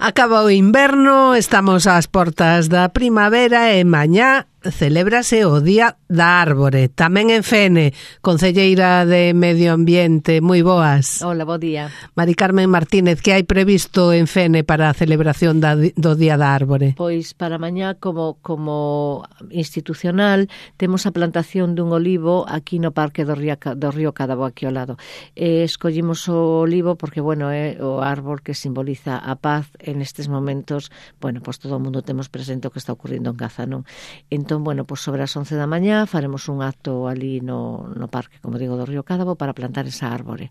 Acaba o inverno, estamos ás portas da primavera e mañá celébrase o Día da Árbore. Tamén en Fene, concelleira de Medio Ambiente. Moi boas. Hola, bo día. Mari Carmen Martínez, que hai previsto en Fene para a celebración do Día da Árbore? Pois para mañá, como institucional, temos a plantación dun olivo aquí no Parque do Río Cadabo, aquí ao lado. Escollimos o olivo porque, bueno, é o árbol que simboliza a paz en estes momentos. Bueno, pois todo o mundo temos presente o que está ocurrindo en Gaza, non? Entón, bueno, pois sobre as 11 da mañá faremos un acto ali no parque, como digo, do Río Cadabo para plantar esa árbore.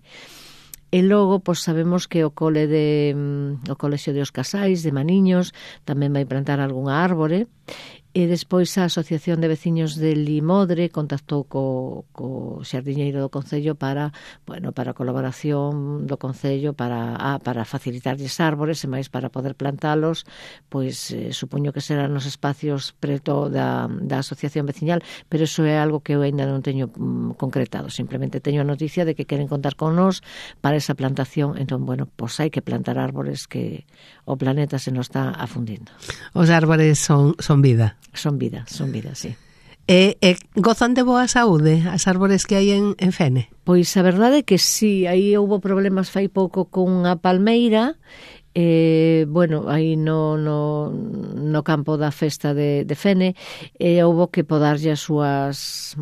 E logo, pois sabemos que o Colexio de os Casais de Maniños tamén vai plantar algunha árbore. E despois a Asociación de Veciños de Limodre contactou co xardiñeiro do Concello para a colaboración do Concello para facilitarlles árbores e máis para poder plantalos, pois supoño que serán nos espacios preto da Asociación Veciñal, pero iso é algo que eu ainda non teño concretado, simplemente teño a noticia de que queren contar con nós para esa plantación. Entón, bueno, pois hai que plantar árbores, que o planeta se nos está afundindo. Os árboles son vida. Son vida, sí. E gozan de boa saúde as árbores que hai en Fene? Pois a verdade é que sí, aí houbo problemas fai pouco con a palmeira. Bueno, aí no campo da festa de Fene houbo que podarlle as súas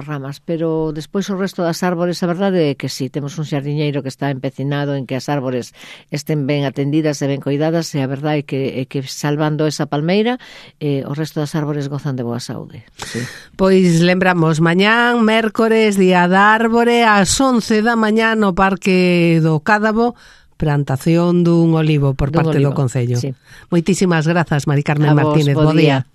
ramas, pero despois o resto das árbores, a verdade é que sí, temos un xardiñeiro que está empecinado en que as árbores estén ben atendidas e ben coidadas, e a verdade é que salvando esa palmeira, o resto das árbores gozan de boa saúde. Sí. Pois lembramos, mañán, mércores, Día da Árbore, ás 11 da mañá no Parque do Cádabo, plantación dun olivo por parte do Concello. Sí. Moitísimas grazas, Mari Carmen Martínez. Bo día.